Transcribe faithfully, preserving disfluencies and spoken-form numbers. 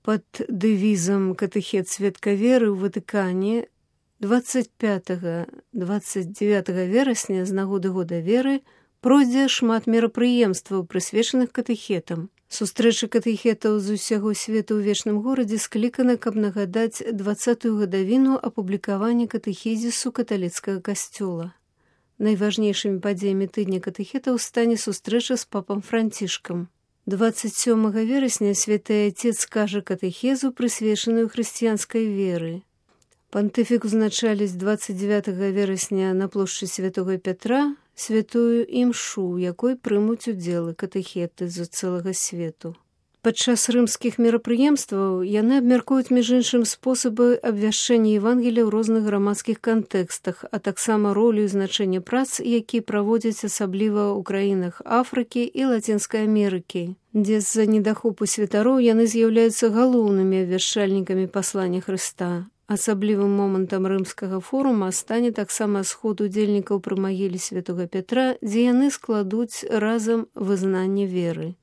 Пад дэвізам «Катэхет сведка веры» ў Ватыкане дваццаць пятага — дваццаць дзевятага верасня з нагоды года веры пройдзе шмат мерапрыемстваў, прысвечаных катэхетам. Сустрэча катэхетаў з усяго свету ў вечным горадзе склікана, каб нагадаць дваццатую гадавіну апублікавання катэхізісу каталіцкага касцёла. Найважнейшымі падзеямі тыдня катэхетаў стане сустрэча з папам Францішкам. дваццаць сёмага верасня святы Отец скажа катэхезу, прысвечаную хрысціянскай веры. Пантыфік узначаліць дваццаць дзевятага верасня на плошчы Святога Пятра святую імшу, у якой прымуць удзел катэхеты з цэлага свету. Падчас рымскіх мерапрыемстваў яны абмяркуюць між іншым спосабы абвяшчэння Евангелія ў розных грамадскіх кантэкстах, а таксама ролю і значэнне прац, які праводзяць асабліва ў краінах Афрыкі і Лацінскай Амерыкі, дзе з-за недахопу святароў яны з'яўляюцца галоўнымі абвяшчальнікамі паслання Хрыста. Асаблівым момантам рымскага форума стане таксама сход удзельнікаў пры магіле Святога Пятра, дзе яны складуць разам вызнанне веры.